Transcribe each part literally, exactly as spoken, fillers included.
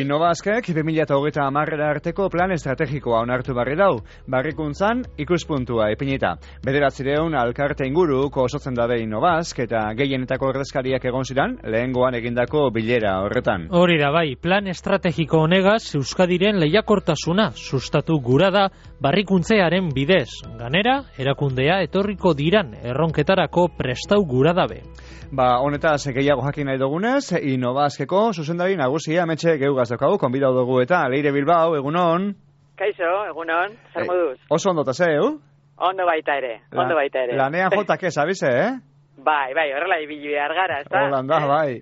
Innobazkek bi mila hogeita hamarera arteko plan estrategikoa onartu barri dau, barrikuntzan ikuspuntua ipinita. Bederatzireun alkarte inguruko osotzen dabe Innobazk eta gehienetako ordezkariak egon ziren lehengoan egindako bilera horretan. Hori da bai, plan estrategiko honegaz Euskadiren lehiakortasuna sustatu gura da barrikuntzearen bidez. Ganera, erakundea etorriko diran erronketarako prestau gura dabe. Ba, honetaz gehiago jakin nahi dugunez, Innobazkeko zuzendari nagusia ametxe geugaz daukagu, konbidau dugu eta Leire Bilbao, egunon. Kaixo, egunon, zer moduz? Oso ondo zeu? Ondo baita ere, La, ondo baita ere. Lanean jotak ez, abize, eh? Bai, bai, horrela ibili behar gara, ez da? Holanda, bai.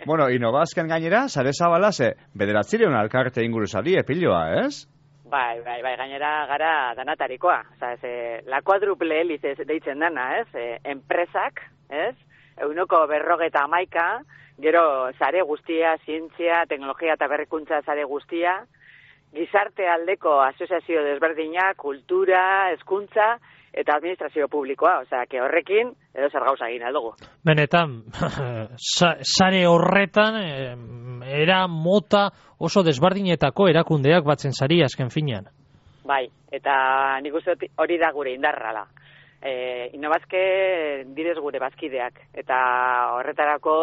Bueno, Innobazken gainera, sare zabala ze, bederatzireun alkarte inguru zari, epiloa, ez? Bai, bai, bai, gainera gara danatarikoa. Osa, ez, la kuadruple heliz deitzen dana, ez? E, enpresak, ez? Eunoko berrogeta hamaika, gero sare guztia, zientzia, teknologia eta berrikuntza sare guztia, gizarte aldeko asoziazio desberdina, kultura, hezkuntza eta administrazio publikoa. Osea, que horrekin edo zer gauza egin aldugu. Benetan, sare horretan, era mota oso desberdinetako erakundeak batzen sari azken finean. Bai, eta nik uste hori da gure indarrala. E, Innobazke direz gure bazkideak, eta horretarako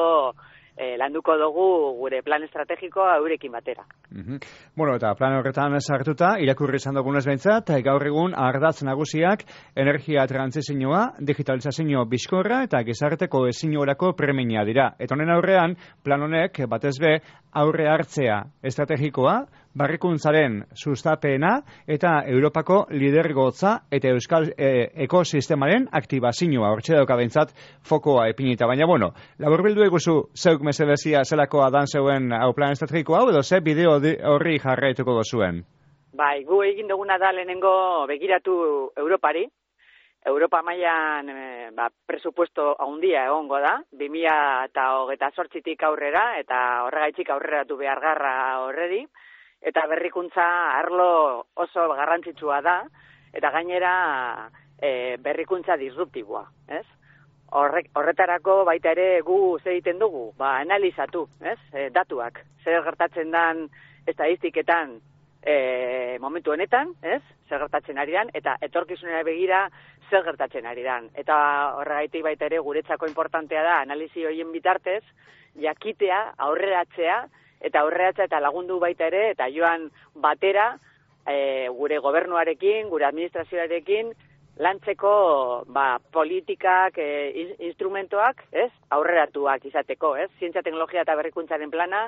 e, landuko dugu gure plan estrategikoa eurekin batera. Mm-hmm. Bueno, eta plan horretan sartuta, irakurri izan dugunez behintzat, gaur egun ardatz nagusiak energia trantsizioa, digitalizazio bizkorra eta gizarte kohesiorako premia dira. Eta honen aurrean, plan honek batez be aurre hartzea estrategikoa, barrikuntzaren sustapena eta Europako lidergotza eta Euskal e, ekosistemaren aktibazioa hortxe dauka behintzat fokoa epinita. Baina, bueno, laburbildu eguzu zeuk mesedezia zelakoa dan zeuen hau plan estrategiko hau edo ze bideo horri jarraituko dozuen? Bai, gu egin duguna da lehenengo begiratu Europari. Europa mailan e, ba, presupuesto handia egongo da, bi mila hogeita zortzitik aurrera eta horregaitzik aurreratu behar garra horreri. Eta berrikuntza arlo oso garrantzitsua da, eta gainera e, berrikuntza disruptiboa, ez? Horrek, horretarako baita ere gu zer egiten dugu, ba, analizatu, ez? E, datuak, zer gertatzen dan estadistiketan e, momentu honetan, ez? Zer gertatzen ari dan, eta etorkizunera begira zer gertatzen ari dan. Eta horregaitik baita ere guretzako importantea da, analizi horien bitartez, jakitea, aurreratzea, eta aurreratza eta lagundu baita ere, eta joan batera e, gure gobernuarekin, gure administrazioarekin, lantzeko ba, politikak, e, instrumentoak, ez? Aurreratuak izateko, ez? Zientzia, teknologia eta berrikuntzaren plana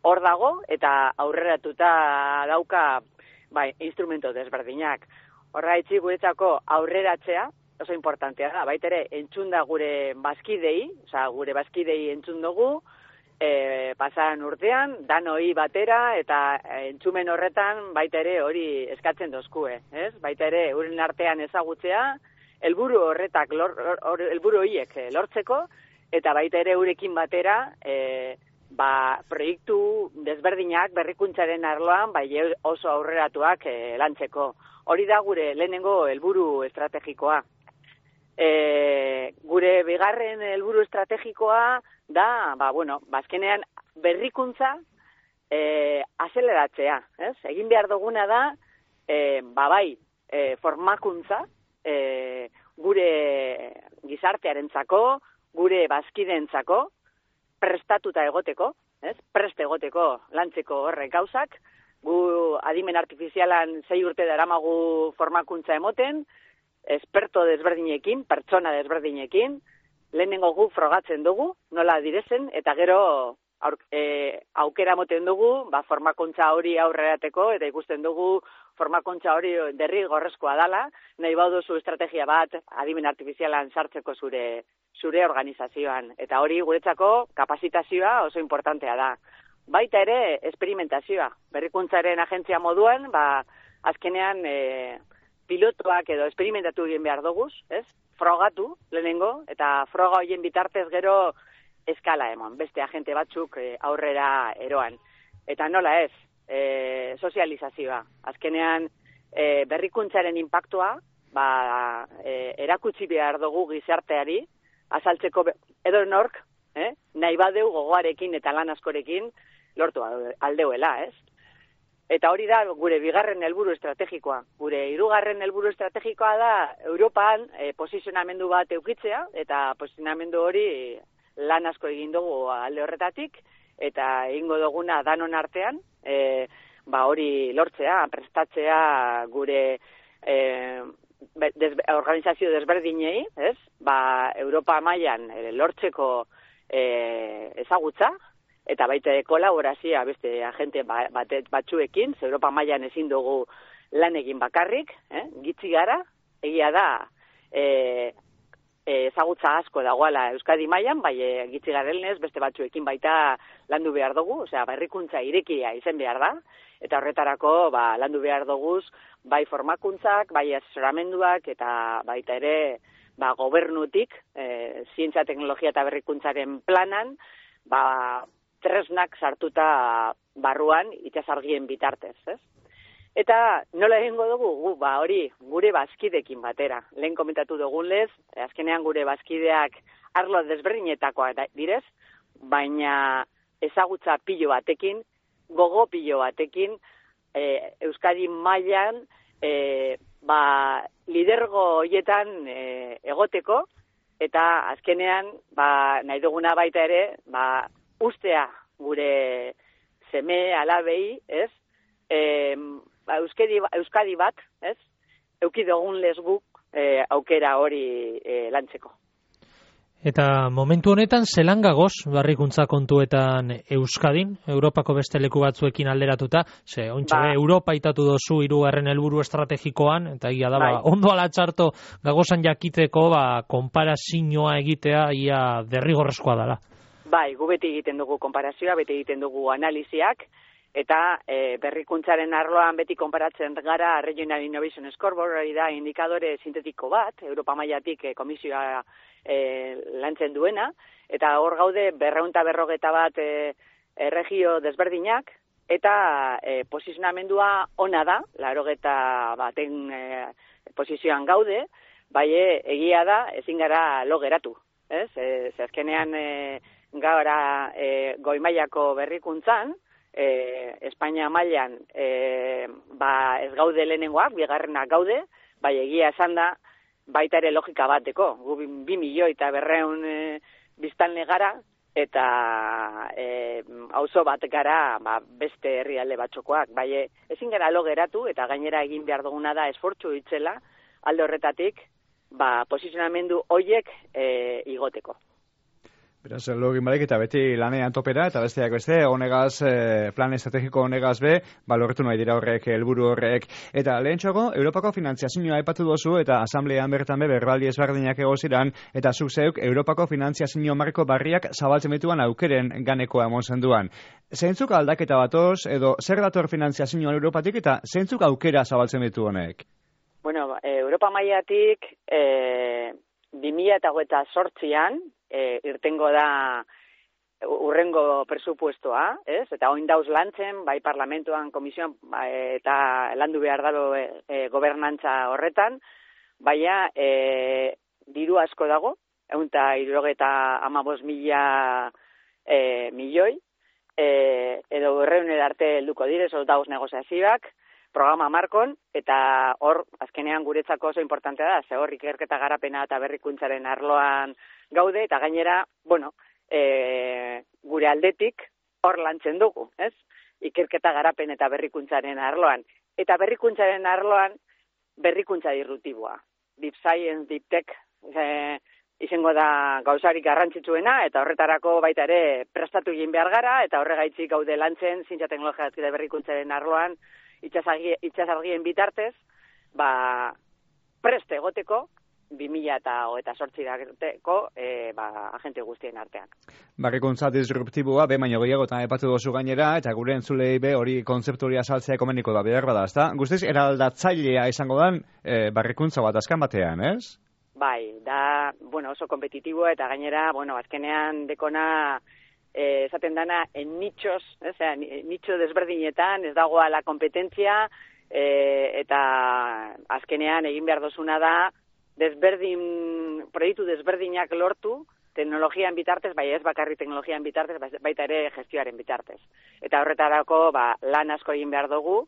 hor dago, eta aurreratuta dauka ba, instrumento desberdinak. Horraitzi guretzako aurreratzea, oso importantea da, baita ere entzun da gure bazkidei, oza, gure bazkidei entzun dugu, E, pasaran urtean, danoi batera, eta entzumen horretan baita ere hori eskatzen dozkue, ez? Baita ere euren artean ezagutzea, helburu horretak, lor, or, helburu horiek lortzeko, eta baita ere eurekin batera, e, ba, proiektu desberdinak berrikuntzaren arloan, bai oso aurreratuak e, lantzeko. Hori da gure lehenengo helburu estrategikoa. E, gure bigarren helburu estrategikoa da, ba, bueno, bazkenean berrikuntza e, azeleratzea, ez? Egin behar duguna da, e, ba, bai, e, formakuntza, e, gure gizartearentzako, gure bazkideentzako, prestatuta egoteko, ez? Prest egoteko lantzeko horrek gauzak, gu adimen artifizialan sei urte daramagu formakuntza emoten, esperto desberdinekin, pertsona desberdinekin, lehenengo gu frogatzen dugu, nola direzen, eta gero aur, e, aukera moten dugu, ba, formakuntza hori aurrerateko, eta ikusten dugu formakuntza hori derrigorrezkoa dala, nahi bauduzu estrategia bat adimen artifizialan sartzeko zure, zure organizazioan. Eta hori guretzako kapazitazioa oso importantea da. Baita ere, esperimentazioa. Berrikuntzaren agentzia moduan, ba, azkenean e, pilotoak edo esperimentatu egin behar doguz, ez? Frogatu lehenengo, eta froga horien bitartez gero eskala eman, beste agente batzuk e, aurrera eroan. Eta nola ez, e, sozializazioa. Azkenean e, berrikuntzaren impactua, ba, e, erakutsi behar dugu gizarteari, azaltzeko edo nork, eh? nahi badeu gogoarekin eta lan askorekin, lortu aldeuela, ez? Eta hori da gure bigarren helburu estrategikoa. Gure hirugarren helburu estrategikoa da Europan e, posizionamendu bat eukitzea, eta posizionamendu hori lan asko egin dugu alde horretatik, eta egingo duguna danon artean, e, ba hori lortzea, prestatzea gure e, des, organizazio desberdinei, ez? Ba Europa mailan e, lortzeko e, ezagutza, eta baita kolaborazioa beste agente bat, batzuekin, Europa mailan ezin dugu lan egin bakarrik, eh? Gitzi gara, egia da, e, ezagutza asko dagoela Euskadi mailan, bai e, gitzi garelnez beste batzuekin baita landu behar dugu, osea, berrikuntza irekia izen behar da, eta horretarako ba, landu behar duguz, bai formakuntzak, bai asesoramenduak, eta baita ere ba, gobernutik, e, zientzia, teknologia eta berrikuntzaren planan, ba, tresnak sartuta barruan itsasargien bitartez, ez? Eta nola egingo dugu? Gu, ba hori, gure bazkidekin batera. Lehen komentatu dugunlez, azkenean gure bazkideak arlo desberdinetakoak direz, baina ezagutza pilo batekin, gogo pilo batekin, e, Euskadi mailan e, ba, lidergo hoietan e, egoteko, eta azkenean ba, nahi duguna baita ere, ba, ustea gure seme alabei, ez? E, ba, Euskadi, Euskadi bat, ez? Euki dugun lesguk e, aukera hori e, lantzeko. Eta momentu honetan zelan gagoz barrikuntza kontuetan Euskadin, Europako beste leku batzuekin alderatuta, ze ontsa ba. Europa itatu dozu hirugarren helburu estrategikoan, eta egia da, bai. Ba, ondo ala txarto gagozan jakiteko, ba, konparazioa egitea ia derrigorrezkoa dela. Bai, gu beti egiten dugu konparazioa, beti egiten dugu analiziak, eta e, berrikuntzaren arloan beti konparatzen gara Regional Innovation Scoreboard, hori da indikadore sintetiko bat, Europa mailatik e, komisioa e, lantzen duena, eta hor gaude berrehun eta berrogeta bat e, e, regio desberdinak, eta e, posizionamendua ona da, laurogeta baten e, posizioan gaude, bai egia da, ezin gara lo geratu, ez? E, azkenean e, gaura e, goi mailako berrikuntzan, e, Espainia mailan e, ba, ez gaude lehenengoak, bigarrenak gaude, bai egia esan da, baita ere logika bateko, gu bi milioi eta berreun e, biztanle gara, eta e, auzo bat gara ba, beste herrialde batzokoak, bai ezin gara lo geratu, eta gainera egin behar duguna da esfortzu itzela, alde horretatik, ba, posizionamendu hoiek e, igoteko. Beraz, login barik eta beti lanean topera, eta besteak beste, honegaz, eh, plan estrategiko honegaz be, balorretu nahi dira horrek, helburu horrek. Eta lehentxoago, Europako finantziazioa aipatu dozu, eta asamblean bertan be, berbaldi ezberdinak egoziran, eta zuk zeuk, Europako finantziazio marko barriak zabaltzen dituan aukeren ganekoa emon zenduan. Zeintzuk aldaketa batoz, edo zer dator finantziazioan Europatik, eta zeintzuk aukera zabaltzen ditu honek? Bueno, Europa mailatik, e, bi mila hogeita zortzian, E, irtengo da urrengo presupuestoa, ez? Eta oin dauz lantzen, bai parlamentuan, komisioan, ba, eta landu behar dago e, e, gobernantza horretan, baina e, diru asko dago, egun eta irurogeta amabos mila e, milioi, e, edo berreun arte helduko dire, sol dauz negoziazioak, programa markon, eta hor, azkenean guretzako oso importantea da, ze hor ikerketa garapena eta berrikuntzaren arloan gaude, eta gainera, bueno, e, gure aldetik hor lantzen dugu, ez? Ikerketa garapen eta berrikuntzaren arloan. Eta berrikuntzaren arloan berrikuntza disruptiboa. Deep Science, Deep Tech, e, izango da gauzarik garrantzitsuena, eta horretarako baita ere prestatu egin behar gara, eta horregaitzik gaude lantzen, zientzia teknologia eta berrikuntzaren arloan, itsasargien bitartez, ba, preste egoteko, bi mila hogeita zortzirako e, ba, agente guztien artean. Barrikuntza disruptiboa, be baino gehiagotan aipatu dozu gainera, eta gure entzulei be hori kontzeptu hori azaltzea komeniko da, behar bada, ezta? Guztiz, eraldatzailea izango dan e, barrikuntza bat azkan batean, ez? Bai, da, bueno, oso kompetitiboa, eta gainera, bueno, azkenean dekona, eh, esaten dana, en nichos, ez, eh, nicho desberdinetan, ez dagoa la kompetentzia, eh, eta azkenean egin behar dozuna da, desberdin, proiektu desberdinak lortu, teknologian bitartez, bai ez bakarri teknologian bitartez, baita ere gestioaren bitartez. Eta horretarako ba, lan asko egin behar dugu,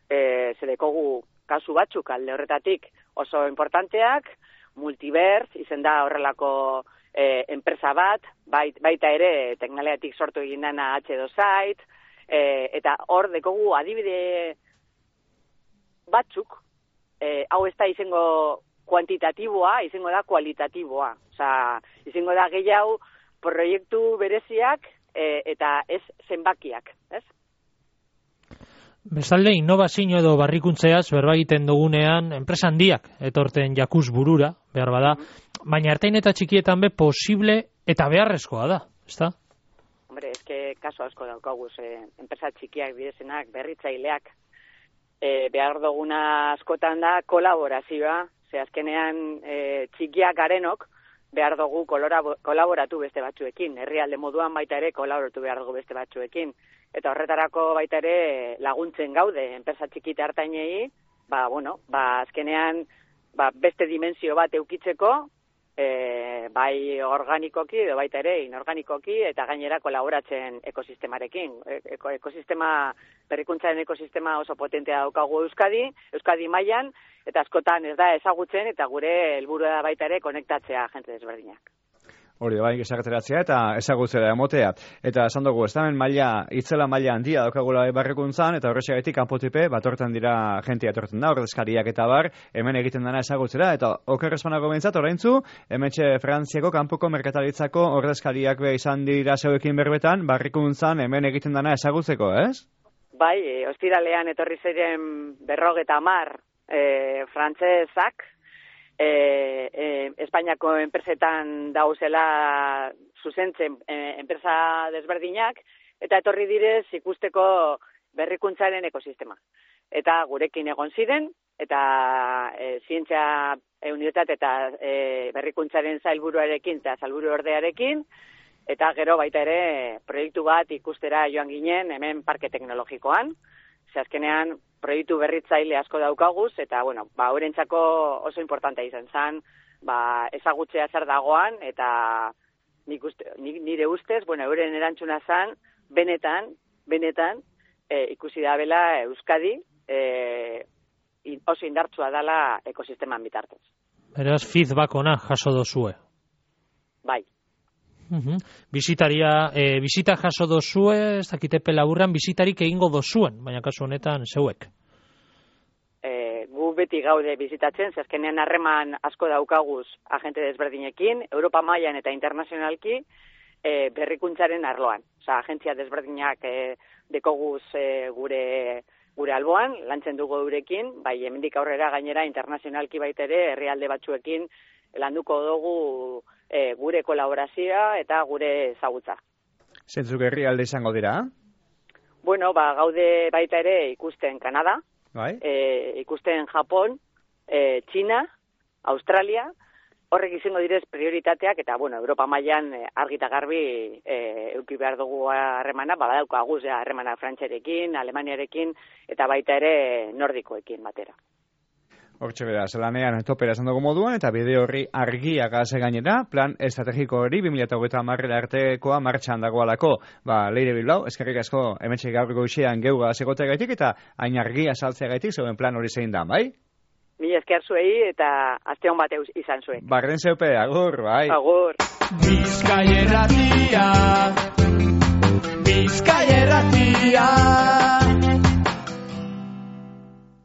e, zedekogu kasu batzuk alde horretatik oso importanteak, Multiverse, izen da horrelako e, enpresa bat, bait, baita ere teknologiatik sortu egin dana H dos Site, e, eta hor dekogu adibide batzuk, e, hau ez da izango kuantitatiboa, izango da kualitatiboa. Osa, izango da gehiago proiektu bereziak e, eta ez zenbakiak, ez? Bestalde, innovazio edo barrikuntzeaz berba egiten dugunean enpresa handiak etorten jakuz burura, behar bada, baina ertain eta txikietan be posible eta beharrezkoa da, ezta? Hombre, eske kaso asko daukaguz, eh, enpresa txikiak bidezenak, berritzaileak, eh, behar duguna askotan da kolaborazioa, ze azkenean eh, txikiak garenok, behar dugu kolaboratu beste batzuekin, herrialde moduan baita ere kolaboratu behar dugu beste batzuekin. Eta horretarako baita ere laguntzen gaude, enpresa txikita hartainei, ba, bueno, ba, azkenean ba, beste dimensio bat eukitzeko, e, bai organikoki edo baita ere inorganikoki, eta gainera kolaboratzen ekosistemarekin. Eko, ekosistema, berrikuntzaren ekosistema oso potentea daukagu Euskadi, Euskadi mailan, eta askotan ez da ezagutzen, eta gure helburua da baita ere konektatzea jente desberdinak. Hori bai, esageratzea eta ezagutzera emotea. Eta esan dugu, ez da hemen maila, itzela maila handia daukagula barrikuntzan, eta horrexegatik kanpotipe batortan dira jentia etortzen da, ordezkariak eta bar, hemen egiten dena ezagutzera, eta oker espanako behintzat, oraintzu, hementxe Frantziako kanpoko merkataritzako ordezkariak be izan dira zeuekin berbetan, barrikuntzan hemen egiten dena ezagutzeko, ez? Bai, e, ostiralean etorri ziren berrogeta hamar e, frantzesak, E, e, Espainiako enpresetan dauzela zuzentzen e, enpresa desberdinak, eta etorri direz ikusteko berrikuntzaren ekosistema. Eta gurekin egon ziren, eta e, zientzia e, unitate eta e, berrikuntzaren zailburuarekin eta zailburu ordearekin, eta gero baita ere proiektu bat ikustera joan ginen hemen parke teknologikoan, ze azkenean proiektu berritzaile asko daukaguz, eta, bueno, ba, horrentzako oso importantea izan zen, ba, ezagutzea zer dagoan, eta nik uste, nire ustez, bueno, euren erantzuna zen, benetan, benetan, e, ikusi da bela Euskadi, e, oso indartsua dela ekosisteman bitartez. Beraz, feedback ona jaso dozue. Bai. Uhum. Bizitaria, e, bizita jaso dozue, ez dakitepe laburran, bizitarik egingo dozuen, baina kasu honetan zeuek. E, gu beti gaude bizitatzen, zazkenean harreman asko daukaguz agente desberdinekin, Europa mailan eta internazionalki, e, berrikuntzaren arloan. Osa, agentzia desberdinak e, dekoguz e, gure gure alboan, lantzen dugu eurekin, bai hemendik aurrera gainera internazionalki baitere herrialde batzuekin landuko dugu e, gure kolaborazioa eta gure ezagutza. Zentzuk herrialde izango dira? Bueno, ba, gaude baita ere ikusten Kanada, bai? e, ikusten Japon, e, Txina, Australia, horrek izango direz prioritateak, eta, bueno, Europa mailan e, argita garbi e, euki behar dugu harremana, ba, badaukaguz harremana Frantziarekin, Alemaniarekin, eta baita ere nordikoekin batera. Hortxe bera, zelanean topera esan dugu moduan, eta bide horri argia gaze gainera, plan estrategiko hori, bi mila hogeita hamarrera artekoa martxan dagoalako. Ba, Leire Bilbao, eskerrik asko hementxe gaur goizean geuga segoteagaitik, eta hain argia saltzeagaitik, zeuen plan hori zein da, bai? Mila esker zuei, eta aste hon bat izan zuen. Barren zeupe, agur, bai? Agur. Bizkaia irratia